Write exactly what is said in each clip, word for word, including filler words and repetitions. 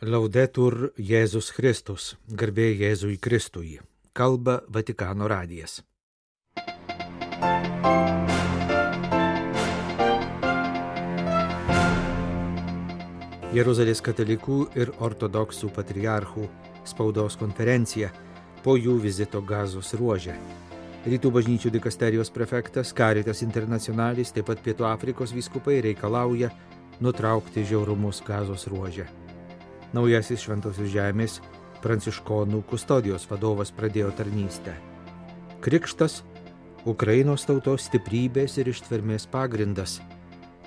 Laudetur Jėzus Kristus, garbė Jėzui Kristui, kalba Vatikano radijas. Jeruzalės katalikų ir ortodoksų patriarchų spaudos konferencija po jų vizito Gazos ruože. Rytų bažnyčių dikasterijos prefektas Caritas Internationalis, taip pat Pietų Afrikos vyskupai reikalauja nutraukti žiaurumus Gazos ruože. Naujasis Šventosios žemės pranciškonų kustodijos vadovas pradėjo tarnystę. Krikštas – Ukrainos tautos stiprybės ir ištvermės pagrindas,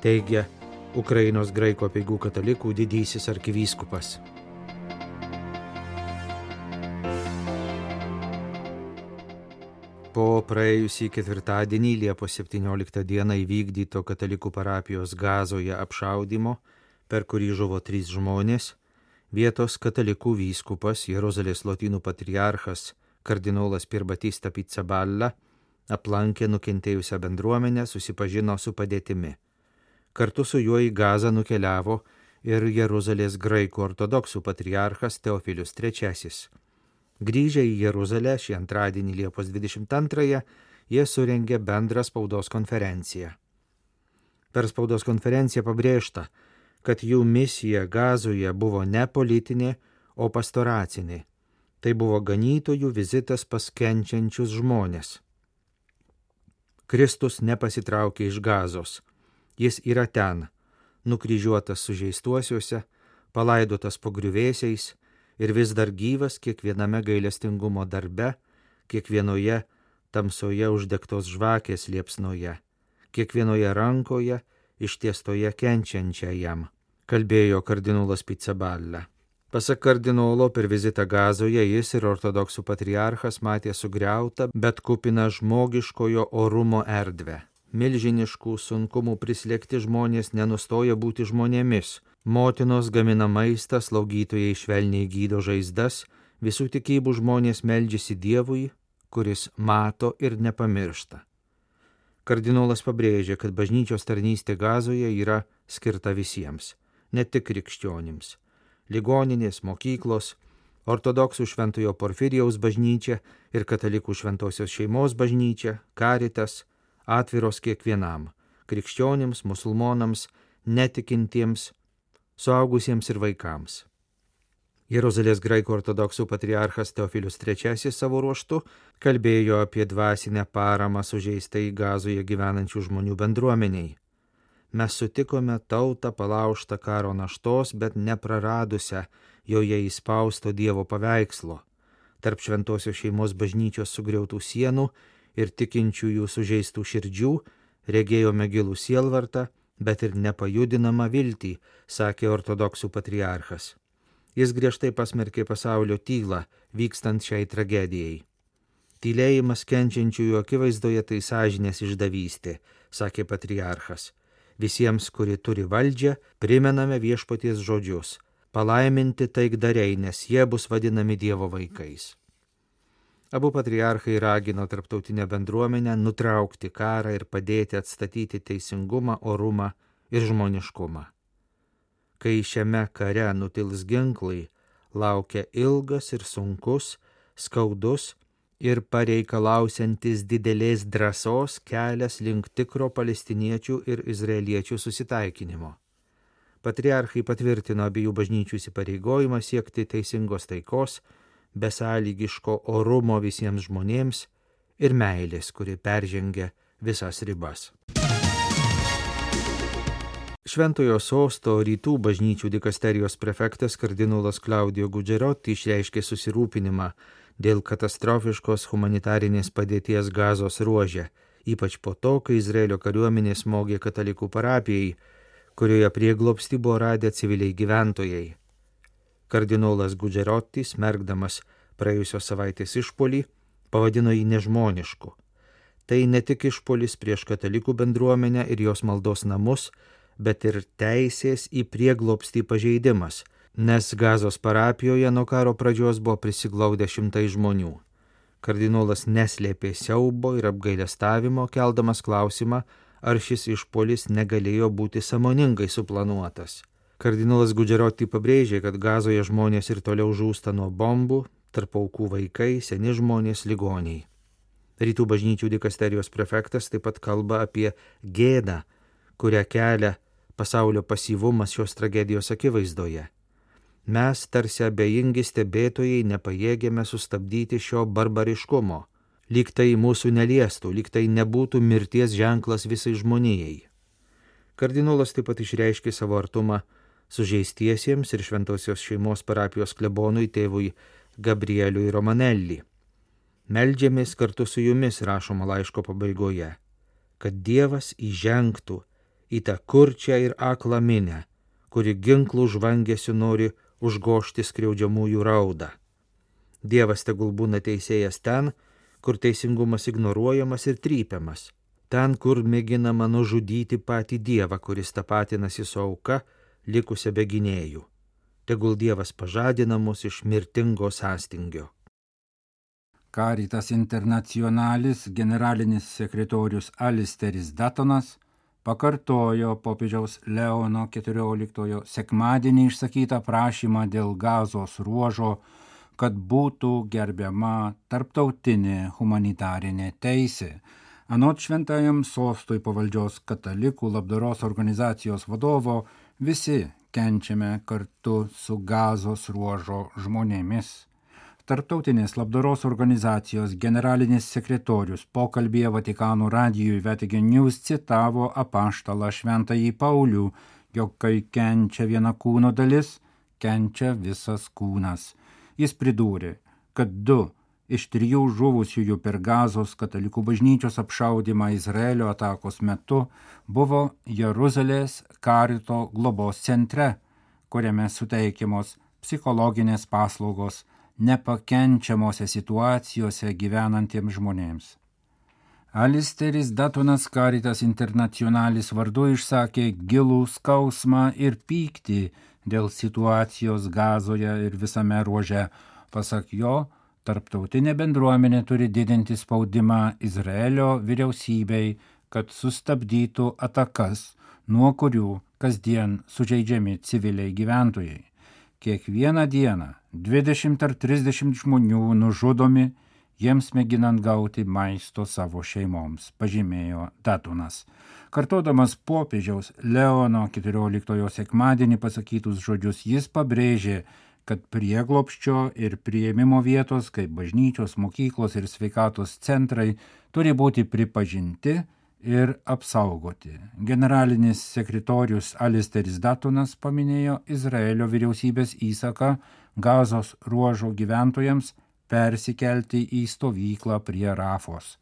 teigia Ukrainos graikų apeigų katalikų didysis arkivyskupas. Po praėjusį ketvirtadienį Liepos septynioliktą dieną įvykdyto katalikų parapijos Gazoje apšaudymo, per kurį žuvo trys žmonės, vietos katalikų vyskupas Jeruzalės lotynų patriarchas kardinolas Pier Battista Pizzaballa aplankė nukentėjusią bendruomenę, susipažino su padėtimi. Kartu su juo į Gazą nukeliavo ir Jeruzalės graikų ortodoksų patriarchas Teofilius trečiasis. Grįžę į Jeruzalę šį antradienį Liepos dvidešimt antrąją jie surengė bendrą spaudos konferenciją. Per spaudos konferenciją pabrėžta, kad jų misija Gazoje buvo ne politinė, o pastoracinė. Tai buvo ganytojų vizitas pas kenčiančius žmonės. Kristus nepasitraukė iš Gazos. Jis yra ten, nukryžiuotas sužeistuosiuose, palaidotas po griuvėsiais ir vis dar gyvas kiekviename gailestingumo darbe, kiekvienoje tamsoje uždegtos žvakės liepsnoje, kiekvienoje rankoje ištiestoje kenčiančiajam, kalbėjo kardinolas Pizzaballa. Pasak kardinolo, per vizitą Gazoje jis ir ortodoksų patriarchas matė sugriautą, bet kupiną žmogiškojo orumo erdvę. Milžiniškų sunkumų prislėgti žmonės nenustoja būti žmonėmis. Motinos gamina maistą, slaugytojai švelniai gydo žaizdas, visų tikybų žmonės meldžiasi Dievui, kuris mato ir nepamiršta. Kardinolas pabrėžė, kad bažnyčios tarnystė Gazoje yra skirta visiems, ne tik krikščionims. Ligoninės, mokyklos, ortodoksų šventojo Porfirijaus bažnyčia ir katalikų šventosios šeimos bažnyčia, Caritas, atviros kiekvienam – krikščionims, musulmonams, netikintiems, suaugusiems ir vaikams. Jeruzalės graikų ortodoksų patriarchas Teofilius trečiasis savo ruožtu kalbėjo apie dvasinę paramą sužeistai Gazoje gyvenančių žmonių bendruomeniai. Mes sutikome tautą palaužtą karo naštos, bet nepraradusią joje įspausto Dievo paveikslo. Tarp šventosios šeimos bažnyčios sugriautų sienų ir tikinčiųjų sužeistų širdžių regėjome gilų sielvartą, bet ir nepajudinamą viltį, sakė ortodoksų patriarchas. Jis griežtai pasmerkė pasaulio tylą, vykstant šiai tragedijai. Tylėjimas kenčiančiųjų akivaizdoje tai sąžinės išdavystė, sakė patriarchas. Visiems, kurie turi valdžią, primename viešpaties žodžius. Palaiminti taikdariai, nes jie bus vadinami Dievo vaikais. Abu patriarchai ragino tarptautinę bendruomenę nutraukti karą ir padėti atstatyti teisingumą, orumą ir žmoniškumą. Kai šiame kare nutils ginklai, laukia ilgas ir sunkus, skaudus ir pareikalausiantis didelės drąsos kelias link tikro palestiniečių ir izraeliečių susitaikinimo. Patriarchai patvirtino abiejų bažnyčių įsipareigojimą siekti teisingos taikos, besąlygiško orumo visiems žmonėms ir meilės, kuri peržengia visas ribas. Šventojo sosto rytų bažnyčių dikasterijos prefektas kardinolas Claudio Gugerotti išreiškė susirūpinimą dėl katastrofiškos humanitarinės padėties Gazos ruože, ypač po to, kai Izraelio kariuomenė smogė katalikų parapijai, kurioje prieglobstį buvo radę civiliai gyventojai. Kardinolas Gugerotti, smerkdamas praėjusios savaitės išpuolį, pavadino jį nežmonišku. Tai ne tik išpuolis prieš katalikų bendruomenę ir jos maldos namus, bet ir teisės į prieglobstį pažeidimas, nes Gazos parapijoje nuo karo pradžios buvo prisiglaudę šimtai žmonių. Kardinolas neslėpė siaubo ir apgailestavimo, keldamas klausimą, ar šis išpuolis negalėjo būti sąmoningai suplanuotas. Kardinolas Gugeroti pabrėžė, kad Gazoje žmonės ir toliau žūsta nuo bombų, tarp aukų vaikai, seni žmonės, ligoniai. Rytų bažnyčių dikasterijos prefektas taip pat kalba apie gėdą, kurią kelia pasaulio pasyvumas šios tragedijos akivaizdoje. Mes, tarsi abejingi stebėtojai, nepajėgėme sustabdyti šio barbariškumo, lyg tai mūsų neliestų, lyg tai nebūtų mirties ženklas visai žmonijai. Kardinolas taip pat išreiškė savo artumą sužeistiesiems ir šventosios šeimos parapijos klebonui tėvui Gabrieliui Romanelli. Meldžiamės kartu su jumis, rašoma laiško pabaigoje, kad Dievas įžengtų į tą kurčią ir aklą minę, kuri ginklų žvangesiu nori užgožti skriaudžiamųjų raudą. Dievas tegul būna teisėjas ten, kur teisingumas ignoruojamas ir trypiamas, ten, kur mėginama nužudyti patį Dievą, kuris tapatinasi su auka, likusia be gynėjų. Tegul Dievas pažadina mus iš mirtingo sąstingio. Caritas Internationalis generalinis sekretorius Alisteris Datonas pakartojo popiežiaus Leono keturioliktojo sekmadienį išsakytą prašymą dėl Gazos ruožo, kad būtų gerbiama tarptautinė humanitarinė teisė. Anot šventajam sostui pavaldžios katalikų labdaros organizacijos vadovo, visi kenčiame kartu su Gazos ruožo žmonėmis. Tarptautinės labdaros organizacijos generalinis sekretorius pokalbyje Vatikano radijui Vatican News citavo apaštalą šventąjį Paulių, jog kai kenčia viena kūno dalis, kenčia visas kūnas. Jis pridūrė, kad du iš trijų žuvusiųjų per Gazos katalikų bažnyčios apšaudymą Izraelio atakos metu buvo Jeruzalės Karito globos centre, kuriame suteikiamos psichologinės paslaugos nepakenčiamose situacijose gyvenantiems žmonėms. Alisteris Datonas Caritas Internationalis vardu išsakė gilų skausmą ir pyktį dėl situacijos Gazoje ir visame ruože. Pasak jo, tarptautinė bendruomenė turi didinti spaudimą Izraelio vyriausybei, kad sustabdytų atakas, nuo kurių kasdien sužeidžiami civiliai gyventojai. Kiekvieną dieną dvidešimt ar trisdešimt žmonių nužudomi, jiems mėginant gauti maisto savo šeimoms, pažymėjo Datonas. Kartodamas popiežiaus Leono keturioliktojo sekmadienį pasakytus žodžius, jis pabrėžė, kad prieglobsčio ir priėmimo vietos, kaip bažnyčios, mokyklos ir sveikatos centrai, turi būti pripažinti ir apsaugoti. Generalinis sekretorius Alisteris Datonas paminėjo Izraelio vyriausybės įsaką Gazos ruožo gyventojams persikelti į stovyklą prie Rafos.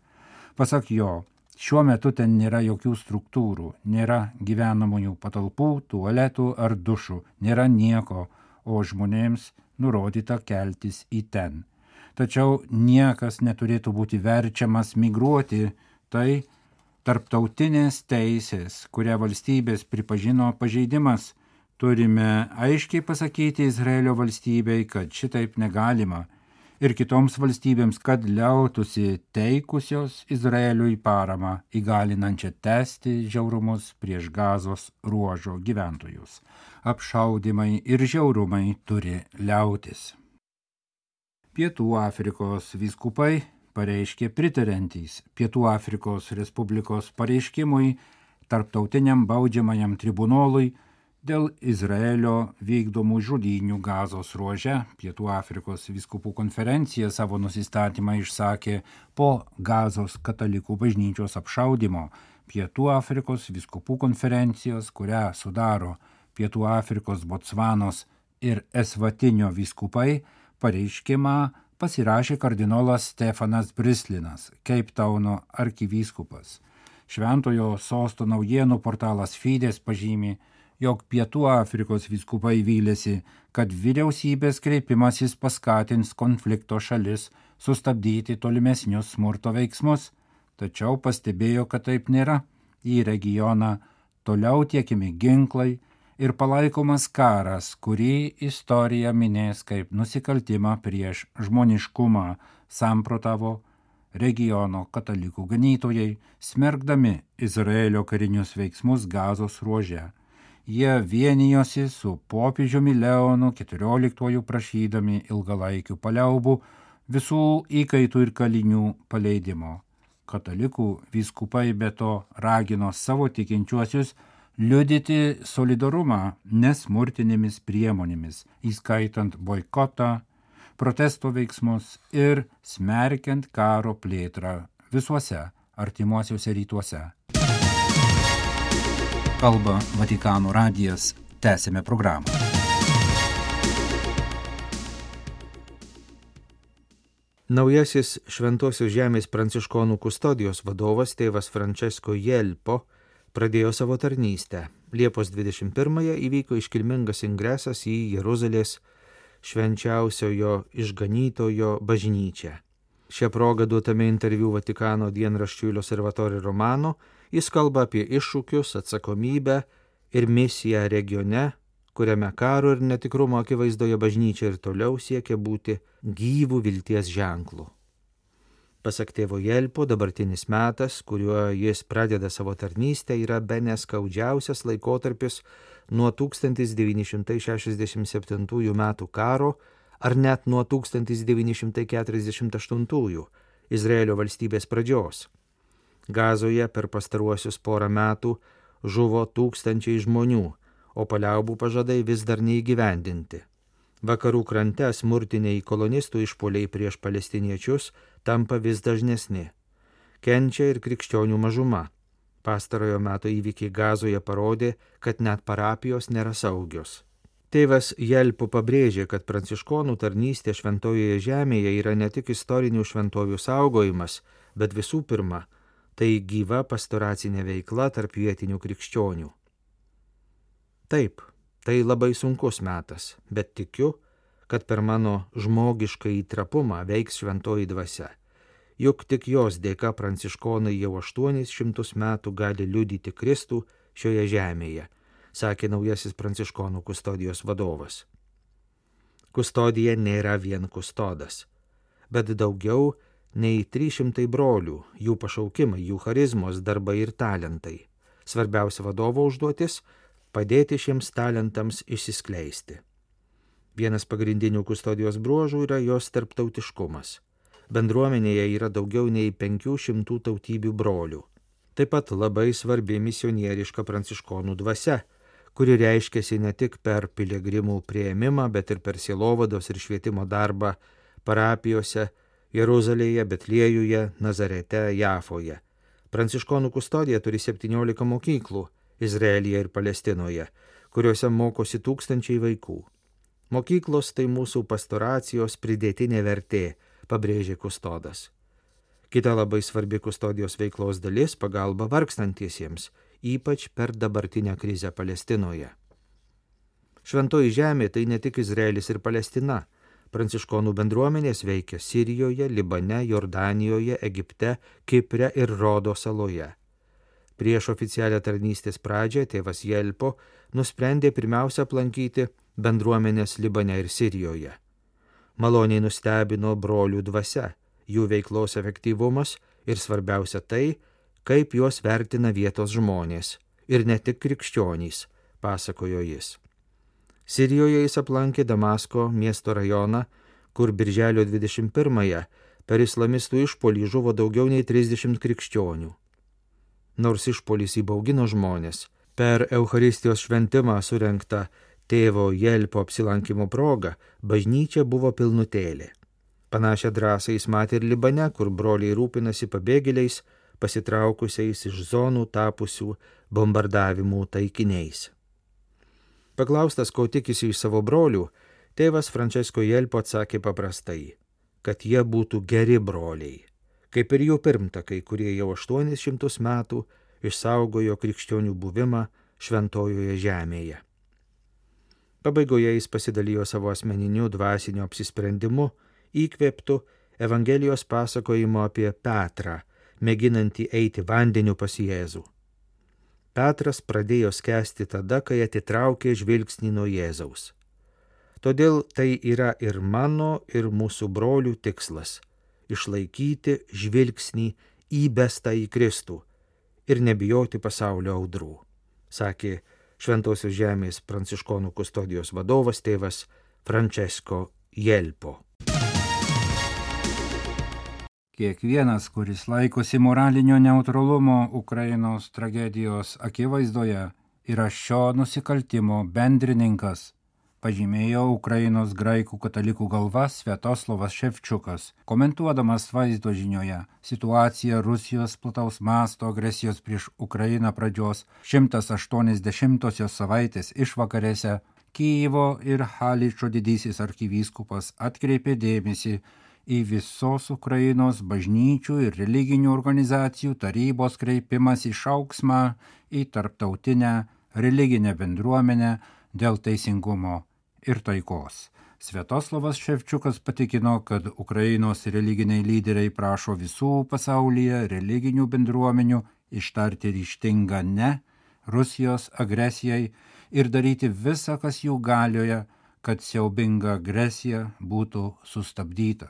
Pasak jo, šiuo metu ten nėra jokių struktūrų, nėra gyvenamųjų patalpų, tualetų ar dušų, nėra nieko, o žmonėms nurodyta keltis į ten. Tačiau niekas neturėtų būti verčiamas migruoti, tai tarptautinės teisės, kurią valstybės pripažino pažeidimas. Turime aiškiai pasakyti Izraelio valstybei, kad šitaip negalima, ir kitoms valstybėms, kad liautųsi teikusios Izraeliui paramą, įgalinančią tęsti žiaurumus prieš Gazos ruožo gyventojus. Apšaudymai ir žiaurumai turi liautis. Pietų Afrikos vyskupai pareiškė pritariantys Pietų Afrikos Respublikos pareiškimui tarptautiniam baudžiamajam tribunolui dėl Izraelio vykdomų žudynių Gazos ruože. Pietų Afrikos vyskupų konferencija savo nusistatymą išsakė po Gazos katalikų bažnyčios apšaudymo. Pietų Afrikos vyskupų konferencijos, kurią sudaro Pietų Afrikos, Botsvanos ir Esvatinio vyskupai, pareiškimą pasirašė kardinolas Stefanas Brislinas, Cape Tauno arkivyskupas. Šventojo sosto naujienų portalas Fides pažymi, jog Pietų Afrikos vyskupai vylėsi, kad vyriausybės kreipimasis paskatins konflikto šalis sustabdyti tolimesnius smurto veiksmus, tačiau pastebėjo, kad taip nėra. Į regioną toliau tiekiami ginklai ir palaikomas karas, kurį istorija minės kaip nusikaltimą prieš žmoniškumą, samprotavo regiono katalikų ganytojai, smerkdami Izraelio karinius veiksmus Gazos ruože. jie vienijosi su popiežiumi Leonu keturioliktuoju prašydami ilgalaikių paliaubų, visų įkaitų ir kalinių paleidimo. Katalikų vyskupai be to ragino savo tikinčiuosius liudyti solidarumą nesmurtinėmis priemonėmis, įskaitant boikotą, protesto veiksmus ir smerkiant karo plėtrą visuose artimuosiuose rytuose. Kalba Vatikano radijas, tęsime programą. Naujasis Šventosios žemės pranciškonų kustodijos vadovas tėvas Francesco Jelpo pradėjo savo tarnystę. Liepos dvidešimt pirmąją įvyko iškilmingas ingresas į Jeruzalės švenčiausiojo išganytojo bažnyčią. Šią progą duotame interviu Vatikano dienraščiui L'Osservatore Romano jis kalba apie iššūkius, atsakomybę ir misiją regione, kuriame karo ir netikrumo akivaizdoje bažnyčia ir toliau siekia būti gyvų vilties ženklų. Pasak tėvo Jelpo, dabartinis metas, kuriuo jis pradeda savo tarnystę, yra bene skaudžiausias laikotarpis nuo tūkstantis devyni šimtai šešiasdešimt septintųjų metų karo ar net nuo tūkstantis devyni šimtai keturiasdešimt aštuntųjų Izraelio valstybės pradžios. Gazoje per pastaruosius porą metų žuvo tūkstančiai žmonių, o paliaubų pažadai vis dar neįgyvendinti. Vakarų krante smurtiniai kolonistų išpuoliai prieš palestiniečius tampa vis dažnesni. Kenčia ir krikščionių mažuma. Pastarojo meto įvykiai Gazoje parodė, kad net parapijos nėra saugios. Tėvas Jelpo pabrėžė, kad pranciškonų tarnystė šventojoje žemėje yra ne tik istorinių šventovių saugojimas, bet visų pirma, tai gyva pastoracinė veikla tarp vietinių krikščionių. Taip, tai labai sunkus metas, bet tikiu, kad per mano žmogišką įtrapumą veiks šventoji dvasia. Juk tik jos dėka pranciškonai jau aštuonis šimtus metų gali liudyti Kristų šioje žemėje, sakė naujasis pranciškonų kustodijos vadovas. Kustodija nėra vien kustodas, bet daugiau nei trys šimtai brolių, jų pašaukimai, jų charizmos, darbai ir talentai. Svarbiausia vadovo užduotis – padėti šiems talentams išsiskleisti. Vienas pagrindinių kustodijos bruožų yra jos tarptautiškumas. Bendruomenėje yra daugiau nei penkių šimtų tautybių brolių. Taip pat labai svarbi misionieriška pranciškonų dvasia, kuri reiškiasi ne tik per piligrimų priėmimą, bet ir per sielovados ir švietimo darbą parapijose Jeruzalėje, Betliejuje, Nazarete, Jafoje. Pranciškonų kustodija turi septyniolika mokyklų Izraelyje ir Palestinoje, kuriuose mokosi tūkstančiai vaikų. Mokyklos tai mūsų pastoracijos pridėtinė vertė, pabrėžė kustodas. Kita labai svarbi kustodijos veiklos dalis – pagalba vargstantiesiems, ypač per dabartinę krizę Palestinoje. Šventoji žemė tai ne tik Izraelis ir Palestina. Pranciškonų bendruomenės veikia Sirijoje, Libane, Jordanijoje, Egipte, Kipre ir Rodo saloje. Prieš oficialią tarnystės pradžią tėvas Jelpo nusprendė pirmiausia aplankyti bendruomenės Libane ir Sirijoje. Maloniai nustebino brolių dvasia, jų veiklos efektyvumas ir svarbiausia tai, kaip juos vertina vietos žmonės ir ne tik krikščionys, pasakojo jis. Sirijoje jis aplankė Damasko miesto rajoną, kur birželio dvidešimt pirmąją per islamistų išpuolį žuvo daugiau nei trisdešimt krikščionių. Nors išpuolis įbaugino žmonės, per Eucharistijos šventimą surengtą tėvo Jelpo apsilankimo progą bažnyčia buvo pilnutėlė. Panašią drąsą jis matė ir Libane, kur broliai rūpinasi pabėgėliais, pasitraukusiais iš zonų tapusių bombardavimų taikiniais. Paklaustas, ko tikisi iš savo brolių, tėvas Francesco Jelpo atsakė paprastai, kad jie būtų geri broliai, kaip ir jų pirmtakai, kurie jau aštuonis šimtus metų išsaugojo krikščionių buvimą šventojoje žemėje. Pabaigoje jis pasidalijo savo asmeniniu dvasiniu apsisprendimu, įkvėptu Evangelijos pasakojimo apie Petrą, mėginantį eiti vandeniu pas Jėzų. Petras pradėjo skęsti tada, kai atitraukė žvilgsnį nuo Jėzaus. Todėl tai yra ir mano, ir mūsų brolių tikslas – išlaikyti žvilgsnį įbestą į Kristų ir nebijoti pasaulio audrų, sakė Šventosios žemės pranciškonų kustodijos vadovas tėvas Francesco Jelpo. Kiekvienas, kuris laikosi moralinio neutralumo Ukrainos tragedijos akivaizdoje, yra šio nusikaltimo bendrininkas, pažymėjo Ukrainos graikų katalikų galva Sviatoslavas Ševčiukas, komentuodamas vaizdo žinioje situaciją Rusijos plataus masto agresijos prieš Ukrainą pradžios šimtas aštuoniasdešimtosios savaitės išvakarėse. Kijevo ir Haličo didysis arkivyskupas atkreipė dėmesį į visos Ukrainos bažnyčių ir religinių organizacijų tarybos kreipimas į šauksmą į tarptautinę religinę bendruomenę dėl teisingumo ir taikos. Sviatoslavas Ševčiukas patikino, kad Ukrainos religiniai lyderiai prašo visų pasaulyje religinių bendruomenių ištarti ryžtingą ne Rusijos agresijai ir daryti visą, kas jų galioje, kad siaubinga agresija būtų sustabdyta.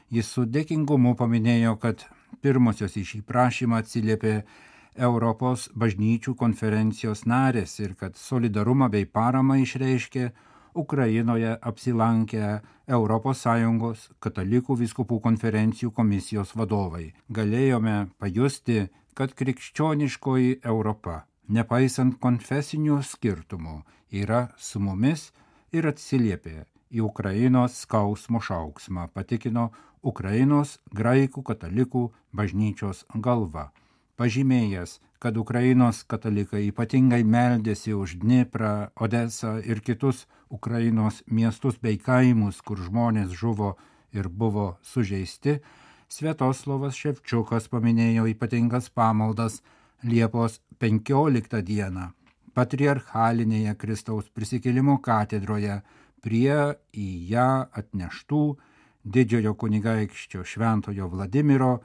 Jis su dėkingumu paminėjo, kad pirmosios į šį prašymą atsiliepė Europos bažnyčių konferencijos narės ir kad solidarumą bei paramą išreiškė Ukrainoje apsilankę Europos Sąjungos katalikų vyskupų konferencijų komisijos vadovai. Galėjome pajusti, kad krikščioniškoji Europa, nepaisant konfesinių skirtumų, yra su mumis ir atsiliepė į Ukrainos skausmo šauksmą, patikino Ukrainos graikų katalikų bažnyčios galva, pažymėjęs, kad Ukrainos katalikai ypatingai meldėsi už Dniprą, Odesą ir kitus Ukrainos miestus bei kaimus, kur žmonės žuvo ir buvo sužeisti. Sviatoslavas Ševčiukas paminėjo ypatingas pamaldas Liepos penkioliktą dieną patriarchalinėje Kristaus prisikėlimo katedroje prie į ją atneštų didžiojo kunigaikščio šventojo Vladimiro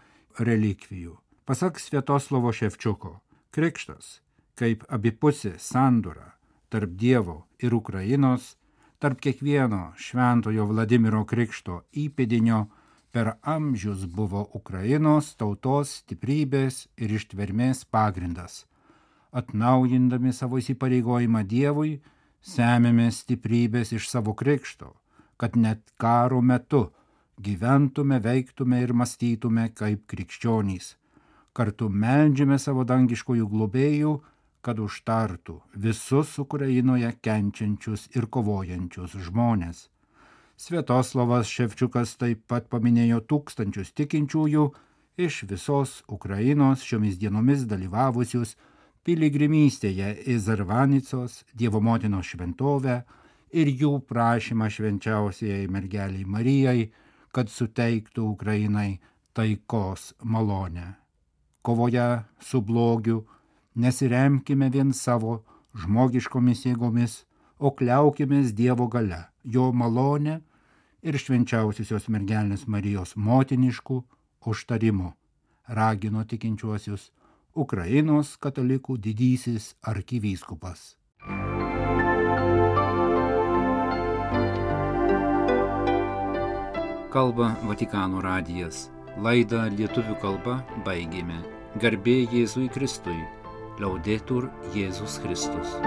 relikvijų. Pasak Sviatoslavo Ševčiuko, krikštas kaip abipusė sandora tarp Dievo ir Ukrainos, tarp kiekvieno šventojo Vladimiro krikšto įpėdinio per amžius buvo Ukrainos tautos stiprybės ir ištvermės pagrindas. Atnaujindami savo įsipareigojimą Dievui, semėme stiprybės iš savo krikšto, kad net karo metu gyventume, veiktume ir mąstytume kaip krikščionys. Kartu meldžiame savo dangiškojų globėjų, kad užtartų visus Ukrainoje kenčiančius ir kovojančius žmonės. Sviatoslavas Ševčiukas taip pat paminėjo tūkstančius tikinčiųjų iš visos Ukrainos šiomis dienomis dalyvavusius piligrimystėje į Zarvanicos Dievo motinos šventovę ir jų prašymą švenčiausiai mergeliai Marijai, kad suteiktų Ukrainai taikos malonę. Kovoje su blogiu nesiremkime vien savo žmogiškomis jėgomis, o kliaukimės Dievo galia, jo malonę ir švenčiausiosios mergelės Marijos motiniškų užtarimų, ragino tikinčiuosius Ukrainos katalikų didysis arkivyskupas. Kalba Vatikano radijas. Laidą lietuvių kalba baigėme. Garbė Jėzui Kristui. Laudetur Jėzus Kristus.